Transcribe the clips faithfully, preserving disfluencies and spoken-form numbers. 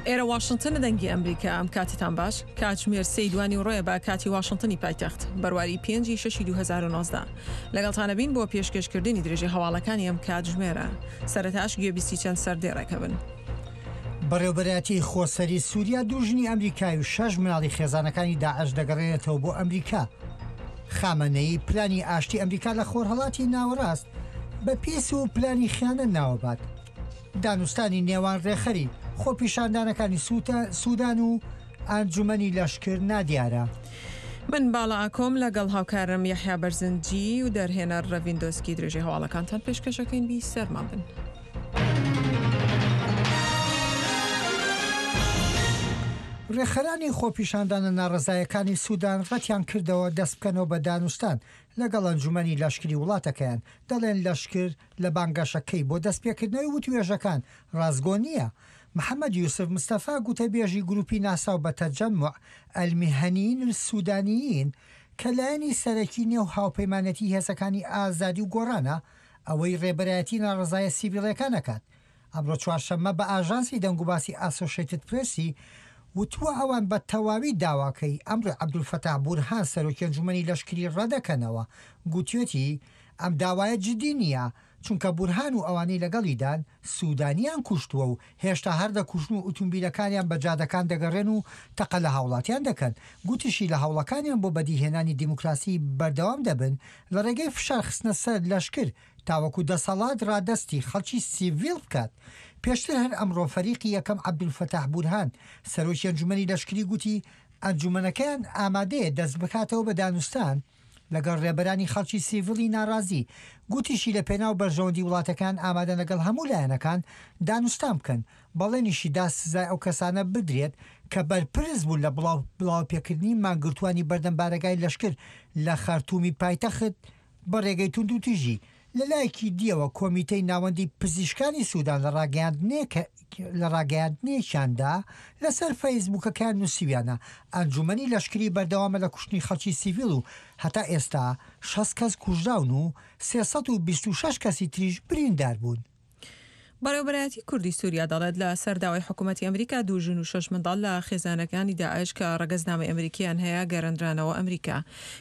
ئێرە واشنتن دەنگی ئەمریکا. ئەم کاتتان باش. کاتژمێر سێی دوانی ڕۆیە بە کاتی واشنتنی پایتەخت، بەرواری پێنجی شەشی دوو هەزار و نۆزدە. لەگەڵتانە بین بۆ پێشکێشکردنی درێژەی هەواڵەکانی ئەم کاتژمێرە. سەرەتاش گوێبیستی چەند سەردێڕێکە بن. بەڕێوبەرایەتی خۆسەری سووریا دوو ژنی ئەمریکای و شەش مناڵی خێزانەکانی داعش دەگەڕێنێتەوە بۆ ئەمریکا. خامەنەیی پلانی ئاشتی ئەمریکا لە خۆرهەڵاتی ناوەڕاست بە پیس و پلانی خیانەت ناوەبات. دانوستانی نێوان ڕێخەری خۆپیشاندانەکانی سوودان و ئەنجومەنی لەشکر نادیارە. من باڵا ئاکۆم لەگەڵ هاوکارم یەحیا بەرزنجی و دەرهێنەر ڕەڤیندۆسکی درێژەی هەواڵەکانتان پێشکەشەکەین. بی سەرمان بن. ڕێخەرانی خۆپیشاندانە ناڕەزایەکانی سوودان ڕەتیان کردەوە دەست بکەنەوە بە دانوستان لەگەڵ ئەنجومەنی لەشکری وڵاتەکەیان. دەڵێن لەشکر لە بانگەشەکەی بۆ دەستپێکردنەوەی وتوێژەکان ڕاستگۆ نییە. محەممەد یوسف مستەفا گوتەبێژی گروپی ناساو بە تەجەمع ئەلمیهەنیین السوودانیین کە لایەنی سەرەکی نێو هاوپەیمانەتی هێزەکانی ئازادی و گۆڕانە، ئەوەی ڕێبەرایەتی ناڕەزایە سیڤیلەکان ئەکات. ئەمڕۆ چوارشەممە بە ئاژانسی دەنگوباسی ئاسۆشیتد پرێسی وتووە ئەوان بە تەواوی داواکەی ئەمڕۆ عەبدولفەتاح بورهان سەرۆکی ئەنجومەنی لەشکری ڕەدەکەنەوە. گوتوێتی ئەم داوایە جدی نییە، چونکە بورهان و ئەوانەی لەگەڵیدان سوودانیان کوشتووە و هێشتا هەر دەکوژن و ئۆتۆمبیلەکانیان بە جادەکان دەگەڕێن و تەقە لە هاوڵاتیان دەکەن. گوتیشی لە هەوڵەکانیان بۆ بەدیهێنانی دیموکراسی بەردەوام دەبن لە ڕێگەی فشار خستنە سەر لەشکر تاوەکو دەسەڵات ڕادەستی خەڵکی سیڤیل بکات. پێشتر هەر ئەمڕۆ فەریقی یەکەم عەبدولفەتاح بورهان سەرۆکی ئەنجومەنی لەشکری گوتی ئەنجومەنەکەیان ئامادەیە دەست بکاتەوە بە دانوستان لەگەڵ ڕێبەرانی خەڵکی سیڤیلی ناڕازی. گوتیشی لە پێناو بەرژەوەندی وڵاتەکان ئامادەن لەگەڵ هەموو لایەنەکان دانوستان بکەن. بەڵێنیشی دا سزای ئەو کەسانە بدرێت کە بەرپرس بوون لە بڵاوپێکردنی مانگرتوانی بەردەم بارەگای لەشکر لە خەرتومی پایتەخت بە ڕێگەی توندوتیژی. لەلایەکی دیەوە کۆمیتەی ناوەندی پزیشکانی سوودان لە ڕاگەیاندنێکیاندا لەسەر فەیسبووکەکان نووسیویانە ئەنجومەنی لەشکری بەردەوامە لە کوشتنی خەڵکی سیڤیل و هەتا ئێستا شەست کەس کوژراون و سێ سەد و بیست و شەش کەسی تریش بریندار بوون. بەڕێوەبەرایەتی کوردی سووریا دەڵێت لە سەر داوای حکوومەتی ئەمریکا دوو ژن و شەش منداڵ لە خێزانەکانی داعش کە ڕەگەزنامەی ئەمریکیان هەیە گەڕێندرانەوە ئەمریکا.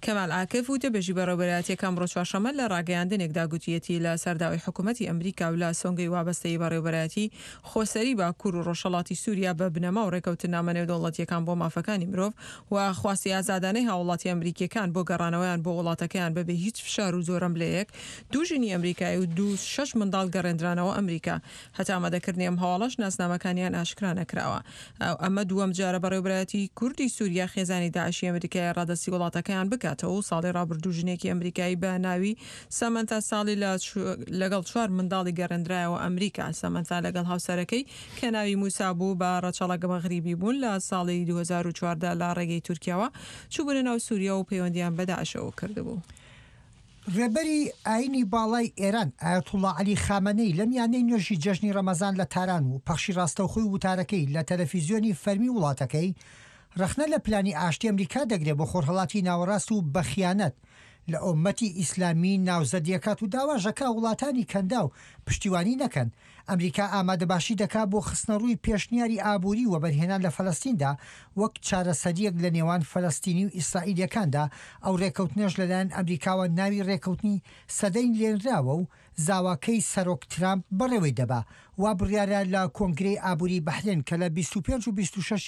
کەمال عاکف وتەبێژی بەڕێوەبەرایەتیەکە ئەمڕۆ چوارشەممە لە ڕاگەیاندنێکدا گوتیەتی لە سەر داوای حکوومەتی ئەمریکا و لە سۆنگەی وابەستەی بەڕێوەبەرایەتی خۆسەری باکوور و ڕۆژهەڵاتی سووریا بە بنەما و ڕێکەوتنامە نێودەوڵەتیەکان بۆ مافەکانی مرۆڤ و خواستی ئازادانەی هاوڵاتی ئەمریکیەکان بۆ گەڕانەوەیان بۆ وڵاتەکەیان بەبێ هیچ فشار و زۆرەملێیەک دوو ژنی ئەمریکایی و دوو شەش منداڵ گەڕێندرانەوە ئەمریکا. هەتا ئامادەکردنی ئەم هەواڵەش ناسنامەکانیان ئاشکرا نەکراوە. ئەمە دووەم جارە بەڕێوەبەرایەتی کوردی سووریا خێزانی داعشی ئەمریکای ڕادەستی وڵاتەکەیان بکاتەوە و ساڵی ڕابردوو ژنێکی ئەمریکایی بە ناوی سەمەنتا ساڵی لەگەڵ چوار منداڵی گەڕێندرایەوە ئەمریکا. سەمەنتا لەگەڵ هاوسەرەکەی کە ناوی موسا بوو بە ڕەچەڵەک مەغریبی بوون لە ساڵی دوو هەزار و چواردە لە ڕێگەی تورکیاوە چووبوونە ناو سووریا و پەیوەندیان بە داعشەوە کردبوو. ڕێبەری ئاینی باڵای ئێران ئایەتوڵڵا عەلی خامەنەی لە میانەی نوێژی جەژنی ڕەمەزان لە تاران و پەخشی ڕاستەوخۆی وتارەکەی لە تەلەفیزیۆنی فەرمی وڵاتەکەی ڕەخنە لە پلانی ئاشتی ئەمریکا دەگرێت بۆ خۆرهەڵاتی ناوەڕاست و بەخیانەت لە ئۆمەتی ئیسلامی ناوزەدیەکات و داواژەکە وڵاتانی کەندا و پشتیوانی نەکەن. ئەمریکا ئامادەباشی دەکا بۆ خستنەڕووی پێشنیاری ئابووری وەبەرهێنان لە فەلەستیندا وەک چارەسەریەک لە نێوان فەلەستینی و ئیسرائیلیەکاندا. ئەو ڕێکەوتنەش لەلایەن ئەمریکاوە ناوی ڕێکەوتنی سەدەی لێنراوە و زاواکەی سەرۆک ترامپ بەڕێوەی دەبا. وا بڕیارە لە کۆنگرەی ئابووری بەحرێن کە لە بیست و پێنج و بیست و شەش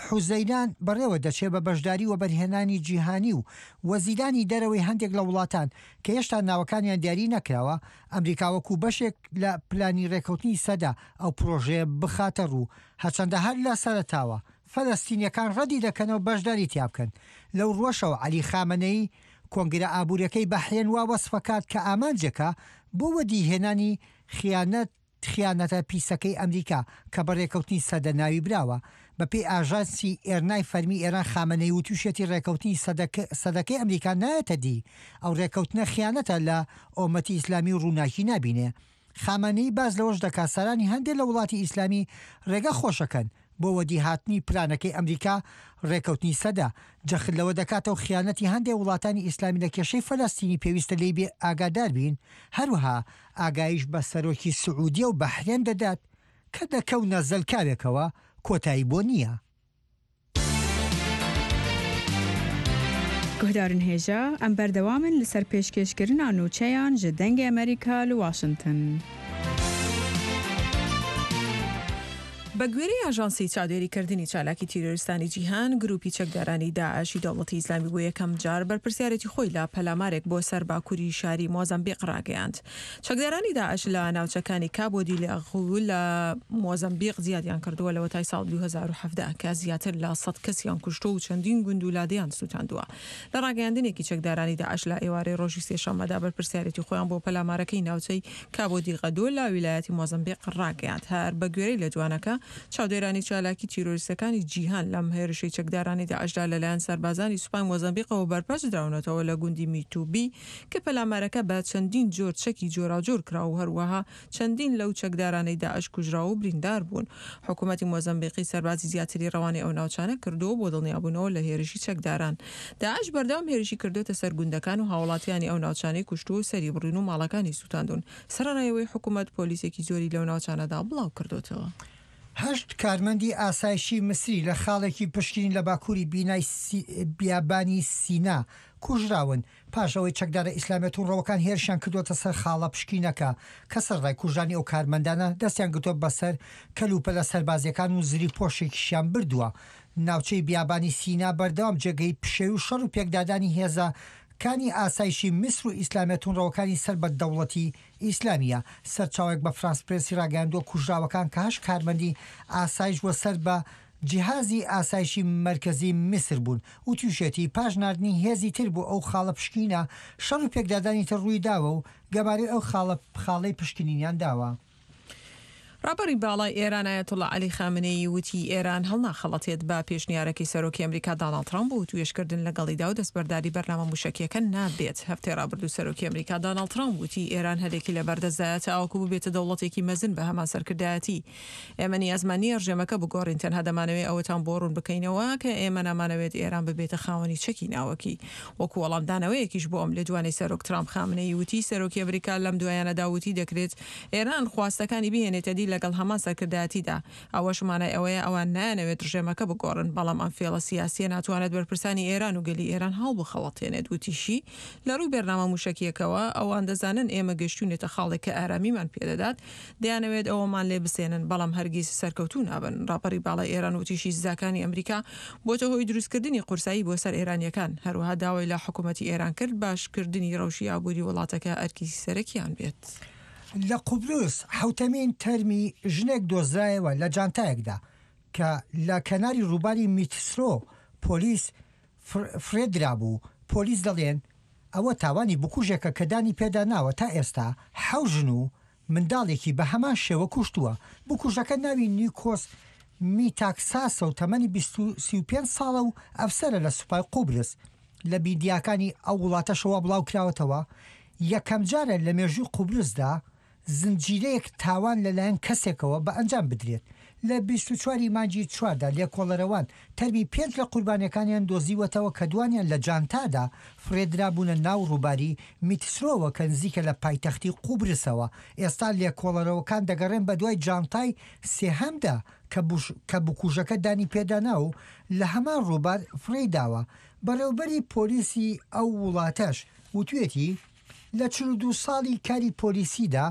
حوزەیران بەڕێوە دەچێت بە بەشداری وەبەرهێنانی جیهانی و وەزیرانی دەرەوەی هەندێک لە وڵاتان کە هێشتا ناوەکانیان دیاری نەکراوە، ئەمریکا وەکو بەشێک لە پلانی ڕێکەوتنی سەدا ئەو پرۆژەیە بخاتە ڕوو، هەرچەندە هەر لە سەرەتاوە فەلەستینیەکان ڕەدی دەکەنەوە بەشداری تیا بکەن. لەو ڕۆژەوە عەلی خامەنەیی کۆنگرە ئابووریەکەی بەحرێن وا وەسفەکات کە ئامانجێکە بۆ وەدیهێنانی خیانەت خیانەتە پیسەکەی ئەمریکا کە بە ڕێکەوتنی سەدە ناوی براوە. بە پێی ئاژانسی ئێرنای فەرمی ئێران خامەنەی وتوشێتی ڕێکەوتنی سەدەکەی ئەمریکا نایەتە دی. ئەو ڕێکەوتنە خیانەتە لە ئۆمەتی ئیسلامی و ڕووناکی نابینێ. خامەنەی باز لەوەش دەکات سەرانی هەندێک لە وڵاتی ئیسلامی ڕێگە خۆشەکەن بۆ وەدیهاتنی پلانەکەی ئەمریکا ڕێکەوتنی سەدە. جەخت لەوە دەکاتەوە خیانەتی هەندێک وڵاتانی ئیسلامی لە کێشەی فەلەستینی پێویستە لێی بێ ئاگادار بین. هەروەها ئاگایش بە سەرۆکی سعودیە و بەحرێن دەدات کە دەکەونە زەلکاوێکەوە کۆتایی بۆ نییە. Guhdarên hêja em berdewam in li ser pêşkêşkirina nûçeyan ji Dengê Amerîka li Washington. بە گوێرەی ئاژانسی چاودێریکردنی چالاکی تیرۆریستانی جیهان، گروپی چەکدارانی داعشی دەوڵەتی ئیسلامی بۆ یەکەم جار بەرپرسیارێتی خۆی لە پەلامارێک بۆ سەر باکووری شاری مۆزەمبیق ڕاگەیاند. چەکدارانی داعش لە ناوچەکانی کابۆ دیلێغو لە مۆزەمبیق زیادیان کردووە لەوەتای ساڵ دوو هەزار و حەڤدە کە زیاتر لە سەد کەسیان کوشتووە و چەندین گوند و لادێیان سووتاندووە. لە ڕاگەیاندنێکی چەکدارانی داعش لە ئێوارەی ڕۆژی سێشەممەدا بەرپرسیارێتی خۆیان بۆ پەلامارەکەی ناوچەی کابۆ دیغەدۆ لە ویلایەتی مۆزەمبیق ڕاگەیاند. هەر بە گوێرەی لێدوانەکە چاودێرانی چالاکی تیرۆریستەکانی جیهان لەم هێرشەی چەکدارانی داعشدا لەلایەن سەربازانی سوپای مۆزەمبیقەوە بەرپەرچ دراونەتەوە لە گوندی میتوبی کە پەلامارەکە بە چەندین جۆر چەکی جۆراوجۆر کرا و هەروەها چەندین لەو چەکدارانەی داعش کوژراو و بریندار بوون. حکوومەتی مۆزەمبیقی سەربازی زیاتری ڕەوانەی ئەو ناوچانە کردووە بۆ دڵنیابوونەوە لە هێرشی چەکداران. داعش بەردەوام هێرشی کردوتە سەر گوندەکان و هاوڵاتیانی ئەو ناوچانەی کوشتووە و سەری بڕین و ماڵەکانی سووتاندون. سەرەڕای ئەوەی حکوومەت پۆلیسێکی زۆری لەو ناوچانەدا بڵاو کردوتەوە. هەشت کارمەندی ئاسایشی میسری لە خاڵێکی پشکنین لە باکووری بینای بیابانی سینا کوژراون پاش ئەوەی چەکدارە ئیسلامیە توندڕەوەکان هێرشیان کردووەتە سەر خاڵە پشکینەکە کە سەرڕای کوژرانی ئەو کارمەندانە دەستیان گرتووە بەسەر کەلوپەلە سەربازیەکان و زری پۆشێکیشیان بردووە. ناوچەی بیابانی سینا بەردەوام جێگەی پشێوی و شەڕ و پێکدادانی هێزە کانی ئاسایشی میسر و ئیسلامیە توندڕەوەکانی سەر بە دەوڵەتی ئیسلامیە. سەرچاوێک بە فرانس پرێسی ڕاگەیاندووە کوژراوەکان کە هەشت کارمەندی ئاسایش وە سەر بە جیهازی ئاسایشی مەرکەزی میسر بوون و تووشێتی پاش ناردنی هێزی تر بۆ ئەو خاڵە پشکینە شەڕ و پێکدادانی تر ڕووی داوە و گەمارەی ئەو خاڵەی پشکنینیان داوە. ڕابەری باڵای ئێران ئایەتوڵڵا عەلی خامنەیی وتی ئێران هەڵناخەڵەتێت بە پێشنیارەکەی سەرۆکی ئەمریکا داناڵد ترامپ و توێشکردن لەگەڵیدا و دەستبەرداری بەرنامە موشەکیەکە نابێت. هەفتەی ڕابردوو سەرۆکی ئەمریکا داناڵد ترامپ وتی ئێران هەلێکی لەبەردەستدایە تاوەکو ببێتە دەوڵەتێکی مەزن بە هەمان سەرکردایەتی. ئێمە نیازمان نییە ڕژێمەکە بگۆڕین، تەنها دەمانەوێت ئەوەتان بۆ ڕوون بکەینەوە کە ئێمە نامانەوێت ئێران ببێتە خاوەنی چەکی ناوەکی. وەکو وەڵامدانەوەیەکیش بۆ ئەم لێدوانەی سەرۆک ترامپ خامنەیی وتی سەرۆکی ئەمریکا لەم دوایانەدا وتی دەکرێت ئێران خواستەکانی بهێنێتە دی لەگەڵ هەمان سەرکردایەتیدا. ئەوەش مانای ئەوەیە ئەوان نایانەوێت ڕژێمەکە بگۆڕن، بەڵام ئەم فێڵە سیاسیە ناتوانێت بەرپرسانی ئێران و گەلی ئێران هەڵبخەڵەتێنێت. وتیشی لە ڕووی بەرنامە موشەکیەکەوە ئەوان دەزانن ئێمە گەشتوونێتە خاڵێک کە ئارامیمان پێدەدات، دەیانەوێت ئەوەمان لێ بسێنن، بەڵام هەرگیز سەرکەوتوو نابن. ڕاپەری باڵای ئێران وتیشی سزاکانی ئەمریکا بۆتە هۆی دروستکردنی قورسایی بۆ سەر ئێرانیەکان. هەروەها داوای لە حکوومەتی ئێران کرد باشکردنی ڕەوشی ئابووری وڵاتەکە ئەرکی سەرەکیان بێت. لە قوبرس حوتەمین تەرمی ژنێک دۆزرایەوە لە جانتایەکدا کە لە کەناری ڕووباری میتسرۆ پۆلیس فرێدرا بوو. پۆلیس دەڵێن ئەوە تاوانی بکوژێکە کە دانی پێدا ناوە تا ئێستا حەوت ژن و منداڵێکی بە هەمان شێوە کوشتووە. بکوژەکە ناوی نیکۆس میتاکساسە و تەمەنی سی و پێنج ساڵە و ئەفسەرە لە سوپای قوبرس. لە میدیاکانی ئەو وڵاتەشەوە بڵاو کراوەتەوە یەکەم جارە لە مێژووی قوبرسدا زنجیرەیەک تاوان لەلایەن کەسێکەوە بە ئەنجام بدرێت. لە بیست و چواری مانگی چواردا لێکۆڵەرەوان تەرمی پێنج لە قوربانیەکانیان دۆزیوەتەوە کە دوانیان لە جانتادا فرێدرابوونە ناو ڕووباری میتسرۆوە کە نزیکە لە پایتەختی قوبرسەوە. ئێستا لێکۆڵەرەوەکان دەگەڕێن بە دوای جانتای سێهەمدا کە بکوژەکە دانی پێدانا و لە هەمان ڕووبار فڕێداوە. بەڕێوبەری پۆلیسی ئەو وڵاتەش وتوێتی لە چل و دوو ساڵی کاری پۆلیسیدا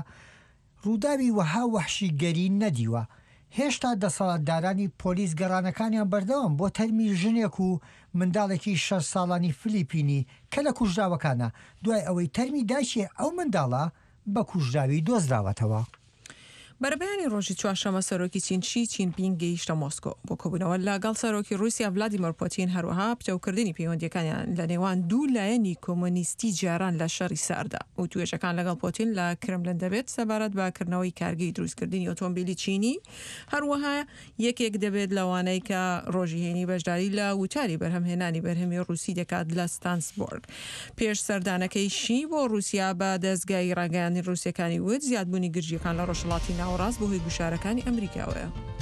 ڕووداوی وەها وەحشیگەری نەدیوە. هێشتا دەسەڵاتدارانی پۆلیس گەڕانەکانیان بەردەوام بۆ تەرمی ژنێک و منداڵێکی شەش ساڵانی فلیپینی کە لە کوژراوەکانە دوای ئەوەی تەرمی دایکی ئەو منداڵە بە کوژراوی دۆزراوەتەوە. بەرەبەیانی ڕۆژی چوارشەممە سەرۆکی چین شی چینپینگ گەیشتە مۆسکۆ بۆ کۆبوونەوە لەگەڵ سەرۆکی ڕووسیا ڤلادیمیر پوتین، هەروەها پتەوکردنی پەیوەندیەکانیان لە نێوان دوو لایەنی کۆمۆنیستی جاران لە شەڕی ساردا. و توێژەکان لەگەڵ پوتین لە کرملن دەبێت سەبارەت بە کردنەوەی کارگەی دروستکردنی ئۆتۆمبیلی چینی، هەروەها یەکێک دەبێت لەوانەی کە ڕۆژی هێنی بەشداری لە وتاری بەرهەمهێنانی بەرهەمی ڕووسی دەکات لە ستانسبۆرگ. پێش سەردانەکەی شی بۆ ڕووسیا بە دەستگای ڕاگەیاندنی ڕووسیەکانی وت زیادبوونی گرژیەکان لە ڕۆژهەڵاتی ناوەڕاست بەهۆی گوشارەکانی ئەمریکاوەیە.